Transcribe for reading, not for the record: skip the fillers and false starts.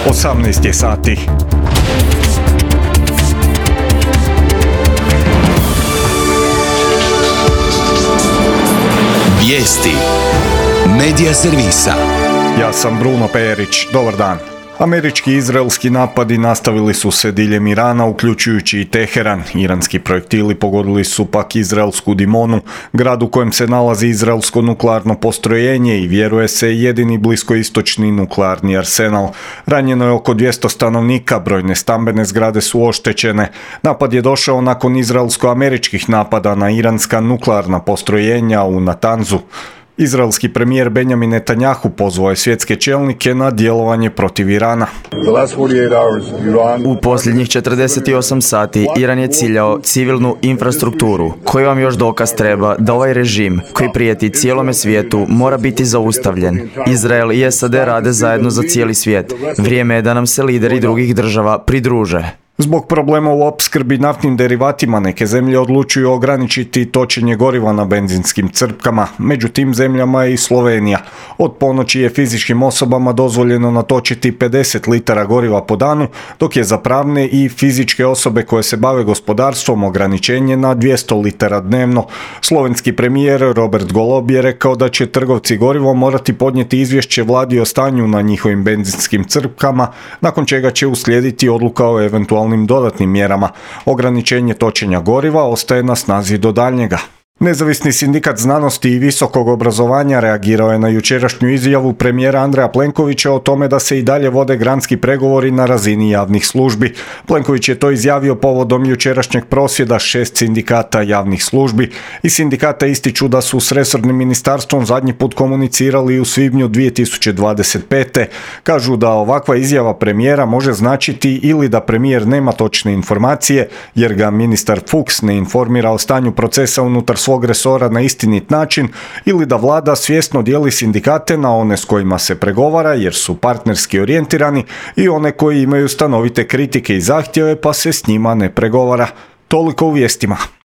18 je sati. Vijesti Medija servisa. Ja sam Bruno Perić. Dobar dan. Američki i izraelski napadi nastavili su se diljem Irana, uključujući i Teheran. Iranski projektili pogodili su pak izraelsku Dimonu, grad u kojem se nalazi izraelsko nuklearno postrojenje i vjeruje se jedini bliskoistočni nuklearni arsenal. Ranjeno je oko 200 stanovnika, brojne stambene zgrade su oštećene. Napad je došao nakon izraelsko-američkih napada na iranska nuklearna postrojenja u Natanzu. Izraelski premijer Benjamin Netanjahu pozvao je svjetske čelnike na djelovanje protiv Irana. U posljednjih 48 sati Iran je ciljao civilnu infrastrukturu. Koji vam još dokaz treba da ovaj režim, koji prijeti cijelome svijetu, mora biti zaustavljen? Izrael i SAD rade zajedno za cijeli svijet. Vrijeme je da nam se lideri drugih država pridruže. Zbog problema u opskrbi naftnim derivatima neke zemlje odlučuju ograničiti točenje goriva na benzinskim crpkama. Među tim zemljama je i Slovenija. Od ponoći je fizičkim osobama dozvoljeno natočiti 50 litara goriva po danu, dok je za pravne i fizičke osobe koje se bave gospodarstvom ograničenje na 200 litara dnevno. Slovenski premijer Robert Golob je rekao da će trgovci gorivom morati podnijeti izvješće vladi o stanju na njihovim benzinskim crpkama, nakon čega će uslijediti odluka o eventualnim dodatnim mjerama. Ograničenje točenja goriva ostaje na snazi do daljnjega. Nezavisni sindikat znanosti i visokog obrazovanja reagirao je na jučerašnju izjavu premijera Andreja Plenkovića o tome da se i dalje vode granski pregovori na razini javnih službi. Plenković je to izjavio povodom jučerašnjeg prosvjeda 6 sindikata javnih službi i sindikata ističu da su s resornim ministarstvom zadnji put komunicirali u svibnju 2025. Kažu da ovakva izjava premijera može značiti ili da premijer nema točne informacije jer ga ministar Fuchs ne informira o stanju procesa unutar svog resora na istinit način ili da vlada svjesno dijeli sindikate na one s kojima se pregovara jer su partnerski orijentirani i one koji imaju stanovite kritike i zahtjeve pa se s njima ne pregovara. Toliko u vijestima.